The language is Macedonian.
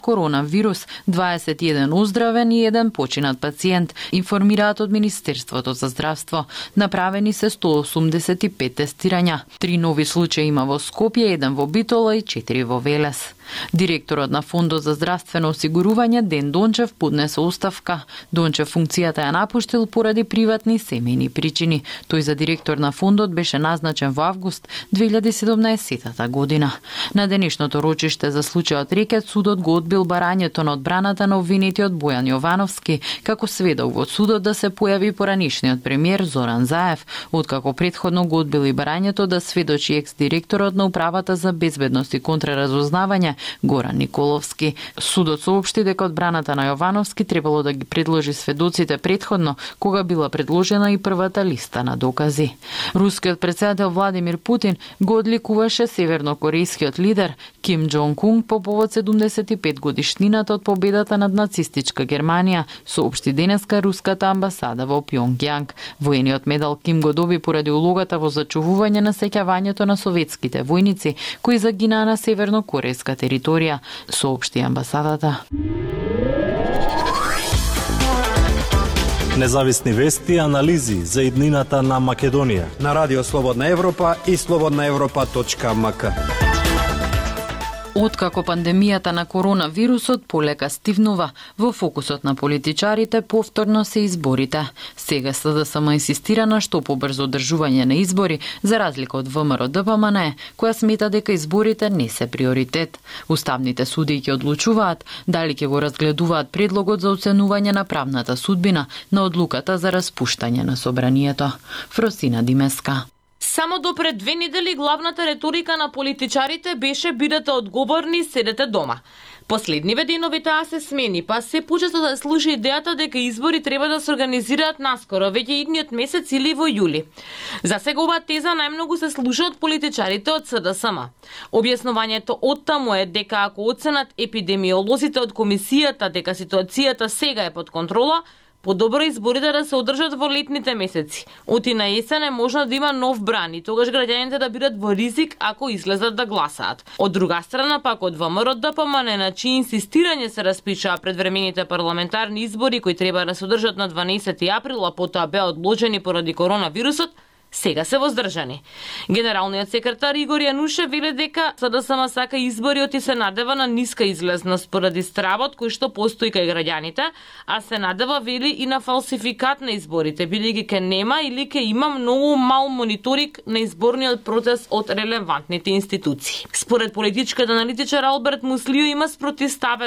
коронавирус, 21 оздравен и 1 починат пациент, информираат од Министерството за здравство. Направени се 185 тестирања. 3 нови случаи има во Скопје, 1 во Битола и 4 во Велес. Директорот на Фондот за здравствено осигурување Ден Дончев поднесе оставка. Дончев функцијата ја напуштил поради приватни семејни причини. Тој за директор на фондот беше назначен во август 2017 година. На денешното рочиште за случајот Рекет судот го одбил барањето на одбраната на обвинетиот Бојан Јовановски како сведок во судот да се појави поранишниот премиер Зоран Заев, откако претходно го одбил и барањето да сведочи екс-директорот на Управата за безбедност и контраразузнавање Горан Николовски. Судот соопшти дека одбраната на Јовановски требало да ги предложи сведоците претходно, кога била предложена и првата листа на докази. Рускиот претседател Владимир Путин го одликуваше севернокорејскиот лидер Ким Џонг Ун по повод 75 годишнината од победата над нацистичка Германија, соопшти денеска руската амбасада во Пјонгјанг. Воениот медал Ким го доби поради улогата во зачувување на сеќавањето на советските војници кои загинаа на севернокорејска територија, соопшти амбасадата. Независни вести и анализи за иднината на Македонија на Радио Слободна Европа и slobodnaevropa.mk. Откако пандемијата на коронавирусот полека стивнува, во фокусот на политичарите повторно се изборите. Сега СДСМ инсистира на што побрзо одржување на избори, за разлика од ВМРО-ДПМН, која смета дека изборите не се приоритет. Уставните судии ќе одлучуваат дали ќе го разгледуваат предлогот за оценување на правната судбина на одлуката за распуштање на собранието. Фросина Димеска. Само до пред 2 недели главната реторика на политичарите беше бидете одговорни и седете дома. Последниве денови таа се смени, па се почесто да слуша идејата дека избори треба да се организираат наскоро, веќе идниот месец или во јули. За сега оваа теза најмногу се слуша од политичарите од СДСМ. Објаснувањето оттаму е дека ако оценат епидемиолозите од комисијата дека ситуацијата сега е под контрола, подобро изборите да се одржат во летните месеци. Оти на есен е можно да има нов бран и тогаш граѓаните да бидат во ризик ако излезат да гласаат. Од друга страна пак од ВМРО-ДПМН на чии инсистирање се распишаа предвремените парламентарни избори кои треба да се одржат на 12 април, а потоа беа одложени поради коронавирусот, сега се воздржани. Генералниот секретар Игор Јанушев вели дека СДСМ сака избориот и се надева на ниска излезност поради стравот кој што постои кај граѓаните, а се надева вели и на фалсификат на изборите, бидејќи ке нема или ке има многу мал мониторинг на изборниот процес од релевантните институции. Според политичкиот аналитичар Алберт Муслио има спротивставеност